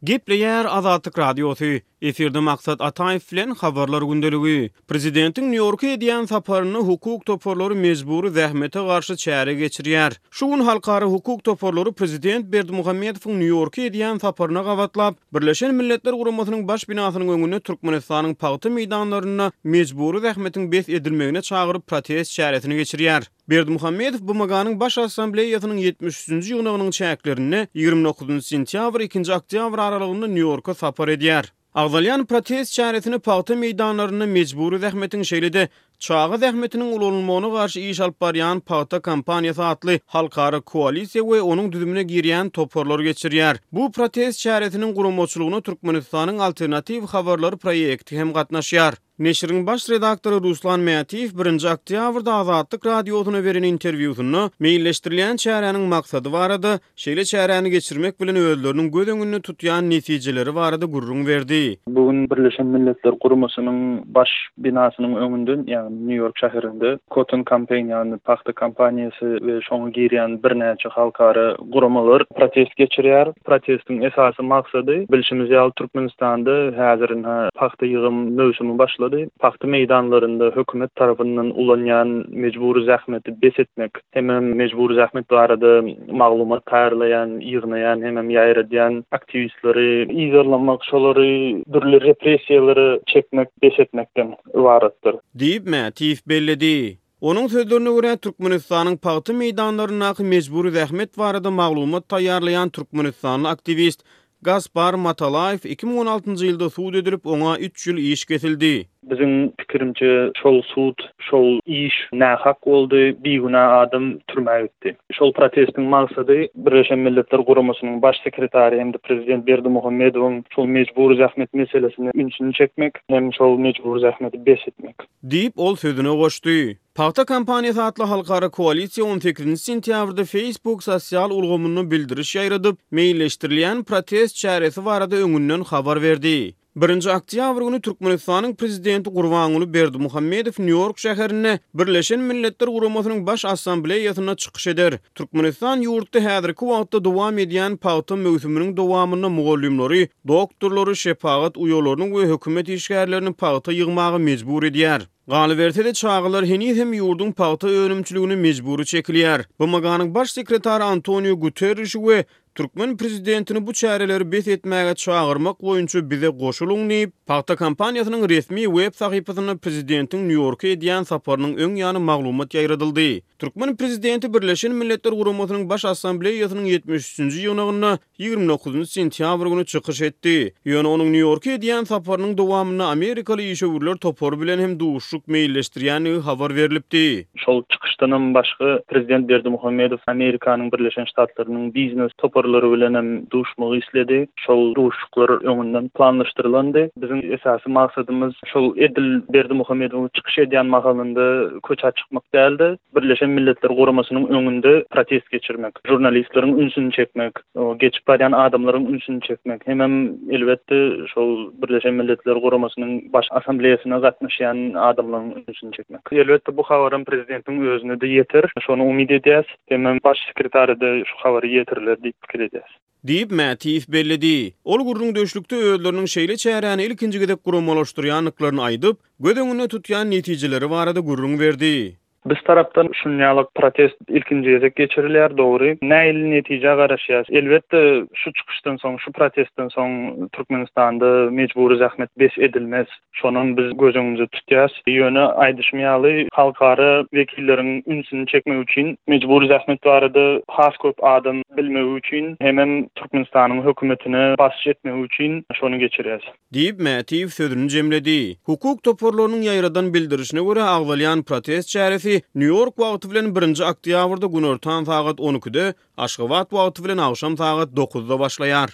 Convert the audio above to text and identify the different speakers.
Speaker 1: Gepleýär Azatlyk Radiosy, Efirde Maksat Ataýew bilen Habarlar gündeligi. Prezidentiň Nýu-Ýorka edýän saparynda hukuk toparlary mejbury zähmete garşy çäre geçirýär. Şu gün halkara hukuk toparlary prezident Berdimuhamedowyň Nýu-Ýorka edýän saparyna gabatlap, Birleşen Milletler Guramasynyň baş binasynyň öňünde Türkmenistanyň pagta meýdanlarynda mejbury zähmetiň bes edilmegine çagyryp protest çäresini geçirýär. Berdimuhamedow BMG-niň Baş Assambleýasynyň 73-nji ýygnagynyň çäklerinde 29 sentýabr, ikinji oktýabr aralygynda Nýu-Ýorka sapar edýär. Agzalýan protest çäresine pagta meýdanlarynda mejbury zähmetiň şeýle-de çaga zähmetiniň ulanylmagyna garşy iş alyp barýan Pagta kampaniýasy atly halkara koalisiýa we onuň düzümine girýän toparlar geçirýär. Bu protest çäresiniň guramaçylygyna Türkmenistanyň Alternatiw habarlary proýekti hem gatnaşýar. Neşiriň baş redaktory Ruslan Mätiýew birinji oktýabrda Azatlyk Radiosyna beren interwýusynda meýilleşdirilýän çäräniň maksady barada, şeýle çäräni geçirmek bilen özleriniň göz öňünde tutýan netijeleri barada gürrüň berdi.
Speaker 2: Bu gün Birleşen Milletler Guramasynyň baş binasynyň öňünde, ýagny Nýu-Ýork şäherinde Cotton Campaign, ýagny pagta kampaniýasy we şoňa girýän birnäçe halkara guramalar protest geçirýär. Protestiň esasy maksady, bilşimiz ýaly, Türkmenistanda häzir ynha pagta ýygym möwsümi başlady. Pagta meýdanlarynda hökümet tarapyndan ulanýan mejbury zähmeti bes etmek, hemem mejbury zähmet barada maglumat taýýarlaýan, ýygnaýan hemem ýaýradýan aktiwistleri yzarlamak, şolary dürli repressiýalara çekmek bes etmekden ybaratdyr.
Speaker 1: Diýip, Mätiýew belledi. Onuň sözlerine görä, Türkmenistanyň pagta meýdanlaryndaky mejbury zähmet barada maglumat taýýarlaýan türkmenistanly aktiwist Gaspar Matalaýew 2016-njy ýylda sud edilip, oňa üç ýyl iş kesildi.
Speaker 2: Biziň pikirimçe, şol sud, şol iş nähak boldy, bigünä adam türmä gitdi. Şol protestiň maksady Birleşen Milletler Guramasynyň Baş sekretary hem-de prezident Berdimuhamedowyň şol mejbury zähmet meselesine ünsüni çekmek hem şol mejbury zähmeti bes etmek.
Speaker 1: Diýip, ol sözüne goşdy. Pagta kampaniýasy atly halkara koalisiýa on sekizinji sentýabrda Facebook sosial ulgamynda bildiriş ýaýradyp, meýilleşdirilýän protest çäresi barada öňünden habar berdi. Birinji oktýabr güni Türkmenistanyň Prezidenti Gurbanguly Berdimuhamedow Nýu-Ýork şäherinde Birleşen Milletler Guramasynyň Baş Assambleýasynda çykyş eder. Türkmenistan ýurtda häzirki wagtda dowam edýän pagta möwsüminiň dowamynda mugallymlary, doktorlary, şepagat uýalaryny we hökümet işgärlerini pagta ýygmaga mejbur edýär. Galyberse-de, çagalar heniz hem ýurduň pagta önümçiligine mejbury çekilýär. BMG-niň Baş sekretary Antoniu Guterrişi we türkmen prezidentini bu çäreleri bes etmäge çagyrmak boýunça bize goşulyň diýip, pagta kampaniýasynyň resmi web sahypasynda prezidentiň Nýu-Ýorka edýän saparynyň öň ýany maglumat ýaýradyldy. Türkmen prezidenti Birleşen Milletler Guramasynyň Baş Assambleýasynyň 73-nji ýygnagynda 29 sentýabr güni çykyş etdi. Ýöne onuň Nýu-Ýorka edýän saparynyň dowamynda amerikaly işewürler topary bilen hem duşuşyk meýilleşdirýändigi habar berlipdi.
Speaker 2: Şol çykyşdanam başga prezident Berdimuhamedow Amerikanyň Birleşen Ştatlarynyň biznes toparlary bilen hem duşmagy isledi. Şol duşuşyklar öňünden planlaşdyrylandy. Biziň esasy maksadymyz şol edil Berdimuhamedowyň çykyş edýän mahalynda köçä çykmak däl-de, Birleşen Milletler Guramasynyň öňünde protest geçirmek, žurnalistleriň ünsüni çekmek, geçip barýan adamlaryň ünsüni çekmek hemem elbetde şol Birleşen Milletler Guramasynyň Baş Assambleýasyna gatnaşýan adamlaryň ünsüni çekmek. Elbetde bu habaram prezidentiň özüne-de ýeter, şony umyt edýäs. Hemem Baş sekretara-da şu habary ýetiriler diýip pikir edýäs.
Speaker 1: Diýip, Mätiýew belledi. Ol gürrüňdeşlikde özleriniň şeýle çäräni ilkinji gezek guramalaşdyrýandyklaryny aýdyp, göz öňünde tutýan netijeleri barada gürrüň berdi.
Speaker 2: Biz tarapdan şunýalyk protest ilkinji gezek geçirilýär, dogry. Nähili netijä garaşýas? Elbetde, şu çykyşdan soň, şu protestden soň Türkmenistanda mejbury zähmet bes edilmez. Şonam biz göz öňümizde tutýas. Ýöne aýdyşym ýaly, halkara wekilleriň ünsüni çekmek üçin, mejbury zähmet barada has köp adam bilmegi üçin hemem Türkmenistanyň hökümetine basyş etmegi üçin şony geçirýäs.
Speaker 1: Diýip, Mätiýew sözüni jemledi. Hukuk toparlarynyň ýaýradan bildirişine görä, agzalýan protest çäresi Nýu-Ýork wagty bilen birinji oktýabrda günortan sagat on ikide, Aşgabat wagty bilen agşam sagat dokuzda başlaýar.